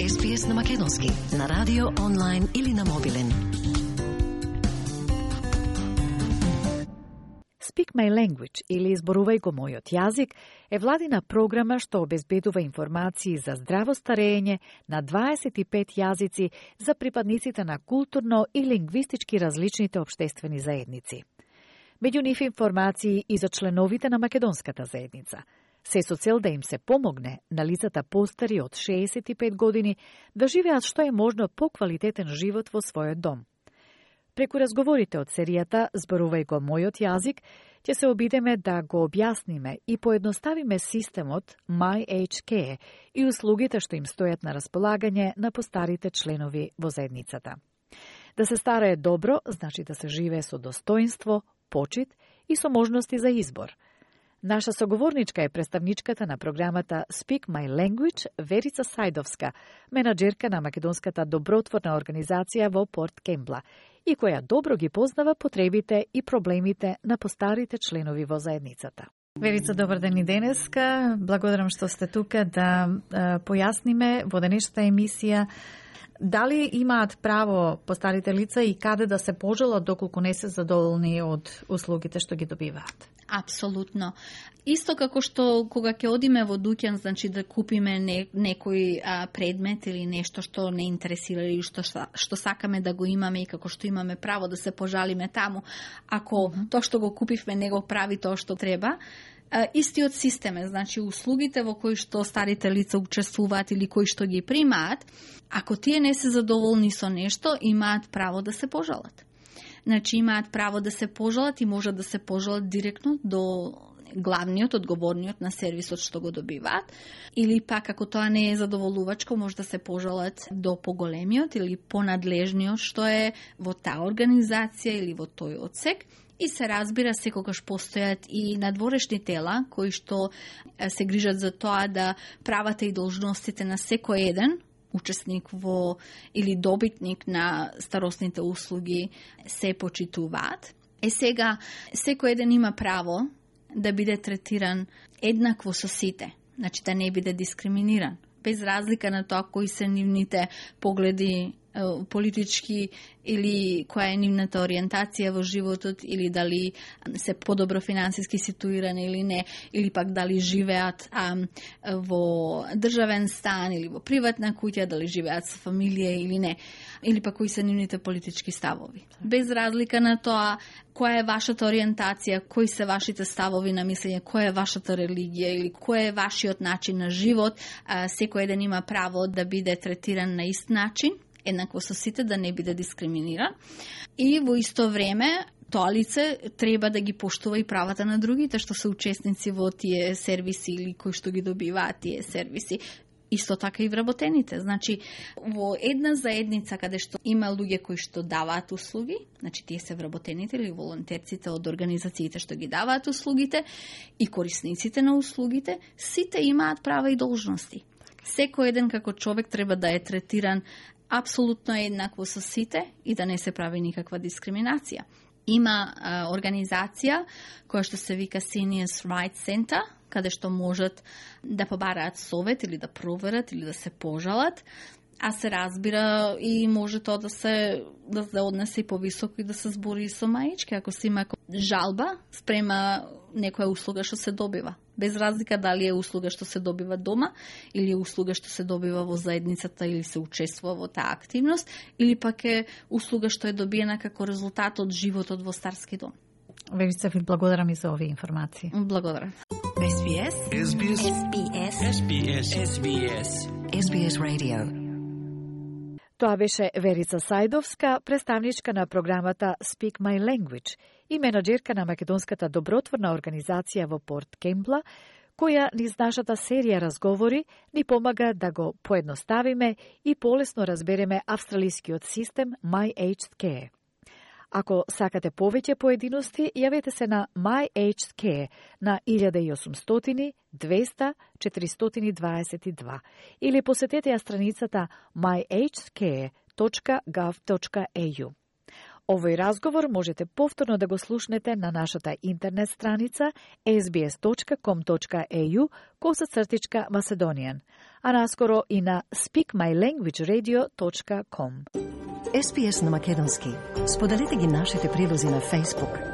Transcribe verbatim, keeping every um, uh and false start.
Ес Би Ес на македонски, на радио, онлайн или на мобилен. Speak My Language или Изборувај го мојот јазик е владина програма што обезбедува информации за здраво старење на дваесет и пет јазици за припадниците на културно и лингвистички различните општествени заедници. Меѓу нив информации и за членовите на македонската заедница, се со цел да им се помогне на лицата постари од шеесет и пет години да живеат што е можно поквалитетен живот во својот дом. Преку разговорите од серијата Зборувај го мојот јазик, ќе се обидеме да го објасниме и поедноставиме системот MyHK и услугите што им стојат на располагање на постарите членови во заедницата. Да се старае добро, значи да се живее со достоинство, почит и со можности за избор. Наша соговорничка е представничката на програмата Speak My Language, Верица Сајдовска, менаџерка на македонската добротворна организација во Порт Кембла, и која добро ги познава потребите и проблемите на постарите членови во заедницата. Верица, добар ден и денеска. Благодарам што сте тука да е, појасниме во денешната емисија дали имаат право постарите лица и каде да се пожалат доколку не се задоволни од услугите што ги добиваат. Апсолутно. Исто како што кога ќе одиме во дуќан, значи да купиме не, некој а, предмет или нешто што не интересира или што, што сакаме да го имаме и како што имаме право да се пожалиме таму, ако mm-hmm. тоа што го купивме не го прави тоа што треба, а, истиот систем е, значи услугите во кои што старите лица учествуваат или кои што ги примаат, ако тие не се задоволни со нешто, имаат право да се пожалат. Значи имаат право да се пожалат и можат да се пожалат директно до главниот, одговорниот на сервисот што го добиваат, или пак ако тоа не е задоволувачко, може да се пожалат до поголемиот или понадлежниот што е во таа организација или во тој одсек. И се разбира, секогаш постојат и надворешни тела кои што се грижат за тоа да правата и должностите на секој еден учесник во или добитник на старосните услуги се почитуваат. Е сега, секој еден има право да биде третиран еднакво со сите, значи да не биде дискриминиран, без разлика на тоа кои се нивните погледи политички или која е нивната ориентација во животот, или дали се подобро финансиски ситуирани или не, или пак дали живеат а, во државен стан или во приватна куќа, дали живеат со фамилија или не, или пак кои се нивните политички ставови. Без разлика на тоа која е вашата ориентација, кои се вашите ставови на мислење, која е вашата религија или кој е вашиот начин на живот, а, секој еден има право да биде третиран на ист начин, еднакво со сите, да не биде дискриминиран. И во исто време тоа лице треба да ги поштува и правата на другите што се учесници во тие сервиси или кои што ги добиваат тие сервиси. Исто така и вработените. Значи, во една заедница каде што има луѓе кои што даваат услуги, значи тие се вработените или волонтерците од организациите што ги даваат услугите и корисниците на услугите, сите имаат права и должности. Секој еден како човек треба да е третиран апсолутно еднакво со сите и да не се прави никаква дискриминација. Има а, организација која што се вика Seniors Rights Center, каде што можат да побараат совет или да проверат или да се пожалат, а се разбира и може тоа да се да се однесе и повисоко и да се збори со маички, ако се има жалба спрема некоја услуга што се добива. Без разлика дали е услуга што се добива дома или е услуга што се добива во заедницата или се учествува во таа активност, или пак е услуга што е добиена како резултат од животот во старски дом. Верица, ви благодарам и за овие информации. Благодарам. Ес Би Ес. Ес Би Ес. Ес Би Ес. Ес Би Ес. Ес Би Ес. Ес Би Ес Radio. Тоа беше Верица Сајдовска, представничка на програмата Speak My Language и менаџерка на македонската добротворна организација во Порт Кембла, која низ нашата серија разговори ни помага да го поедноставиме и полесно разбереме австралискиот систем MyHK. Ако сакате повеќе поединости, јавете се на MyHK на илјада и осумстотини двеста четиристотини дваесет и два или посетете ја страницата my h k dot gov dot a u. Овој разговор можете повторно да го слушнете на нашата интернет страница ес би ес точка ком точка е ю косацртичка Macedonian, а наскоро и на speak my language radio точка ком. Ес Би Ес на македонски. Споделете ги нашите прилози на Facebook,